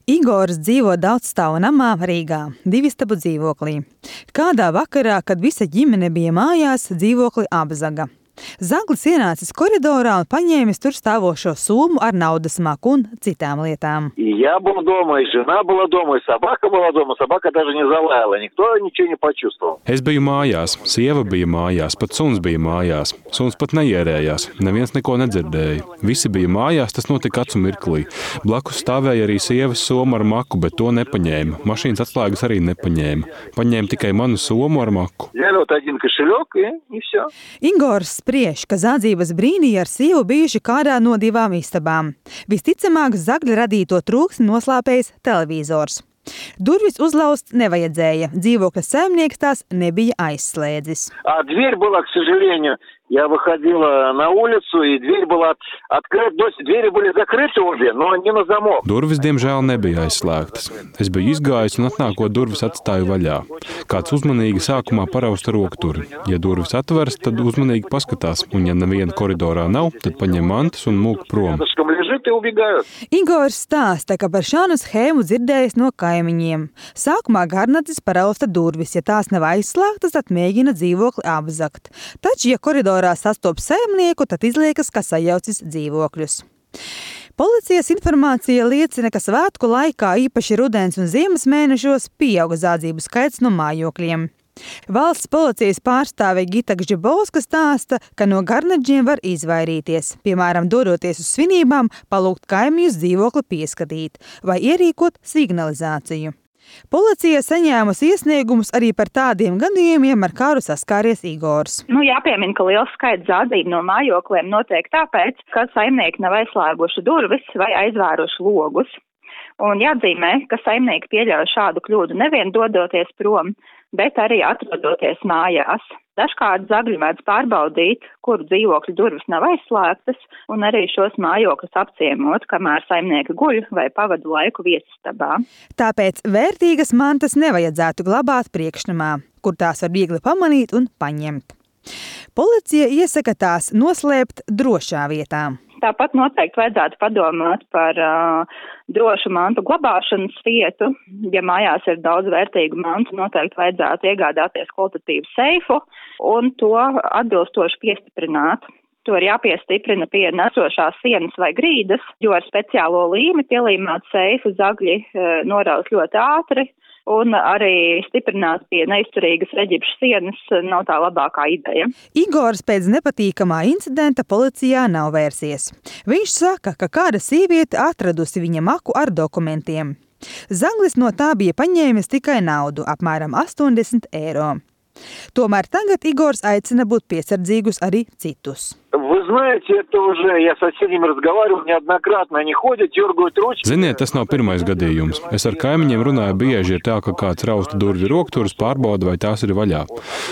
Igors dzīvo daudzstāvu namā Rīgā, 2 istabu dzīvoklī. Kādā vakarā, kad visa ģimene bija mājās, dzīvokli apzaga. Zaglis ienācis koridorā un paņēmis tur stāvošo somu ar naudas maku un citām lietām. Я был дома, и жена была дома, и собака была дома. Собака даже не залаяла, никто ничего не почувствовал. Es biju mājās, sieva bija mājās, pat suns bija mājās. Suns pat neierējās, neviens neko nedzirdēja. Visi bija mājās, tas notika acu mirklī. Blakus stāvēja arī sievas soma ar maku, bet to nepaņēma. Mašīnas atslēgas arī nepaņēma. Paņēma tikai manu somu ar maku. Взяли вот один кошелек, и все. Igors spriež, ka zādzības brīdī ar sievu bijuši kādā no 2 istabām. Visticamāk, Zagļa radīto trūksni noslāpējis televizors. Durvis uzlauzt nevajadzēja, dzīvokļa saimnieks tās nebija aizslēdzis. А дверь была, к сожалению, я выходила на улицу, и дверь была открыта. Двери были закрыты обе, но не на замок. Durvis, diemžēl, nebija aizslēgtas. Es biju izgājis un atnākot durvis atstāju vaļā. Kāds uzmanīgi sākumā parausta rokturi. Ja durvis atveras, tad uzmanīgi paskatās, un ja neviena koridorā nav, tad paņem mantas un mūk prom. Igors stāsta, ka par šādu schēmu dzirdējis no kaimiņiem. Sākumā garnacis parausta durvis, ja tās nav aizslēgtas, tad mēģina dzīvokli apzagt. Taču, ja koridorā sastopas saimnieku, tad izliekas, ka sajaucis dzīvokļus. Policijas informācija liecina, ka svētku laikā, īpaši rudens un ziemas mēnešos, pieauga zādzību skaits no mājokļiem. Valsts policijas pārstāve Gita Gžibovska stāsta, ka no garnaģiem var izvairīties, piemēram, dodoties uz svinībām, palūgt kaimiņus dzīvokli pieskatīt vai ierīkot signalizāciju. Policija saņēmusi iesniegumus arī par tādiem gadījumiem, ar kādu saskāries Igors. Jāpiemina, ka liels skaits zādzību no mājokļiem notiek tāpēc, ka saimnieki nav aizslēguši durvis vai aizvēruši logus. Un jāatzīmē, ka saimnieki pieļauj šādu kļūdu nevien dodoties prom, bet arī atrodoties mājās. Dažkārt Zagļi mēdz pārbaudīt, kuru dzīvokļu durvis nav aizslēgtas, un arī šos mājokļus apciemot, kamēr saimnieki guļ vai pavada laiku viesistabā. Tāpēc vērtīgas mantas nevajadzētu glabāt priekšnamā, kur tās var viegli pamanīt un paņemt. Policija iesaka tās noslēpt drošā vietā. Tāpat noteikti vajadzētu padomāt par drošu mantu glabāšanas vietu. Ja mājās ir daudz vērtīgu mantu, noteikti vajadzētu iegādāties kvalitatīvu seifu un to atbilstoši piestiprināt. To ir jāpiestiprina pie nesošās sienas vai grīdas, jo ar speciālo līmi pielīmēt seifu Zagļi noraus ļoti ātri. Un arī stiprināt pie neizturīgas reģipšu sienas nav tā labākā ideja. Igors pēc nepatīkamā incidenta policijā nav vērsies. Viņš saka, ka kāda sieviete atradusi viņa maku ar dokumentiem. Zaglis no tā bija paņēmis tikai naudu, apmēram 80 eiro. Tomēr tagad Igors aicina būt piesardzīgus arī citus. Вы знаете, это уже, я с соседями разговаривал неоднократно, они ходят, дергают ручки. Ziniet, tas nav pirmais gadījums. Es ar kaimiņiem runāju bieži, ir tā, ka kāds rausta durvju rokturas, pārbauda, vai tās ir vaļā.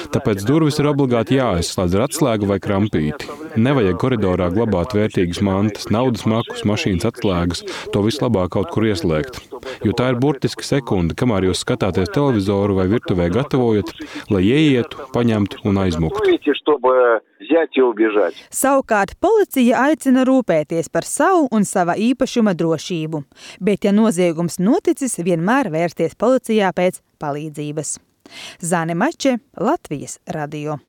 Tāpēc durvis ir obligāti jāaizslēdz ar atslēgu vai krampīti. Nevajag koridorā glabāt vērtīgas mantas, naudas makus, mašīnas atslēgas, to vislabāk kaut kur ieslēgt. Jo tā ir burtiski sekunde, kamēr jūs skatāties televizoru vai virtuvē gatavojat, lai ieietu, paņemtu un aizmuktu. Savukārt policija aicina rūpēties par savu un sava īpašuma drošību, bet ja noziegums noticis, vienmēr vērsties policijā pēc palīdzības. Zane Mače, Latvijas radio.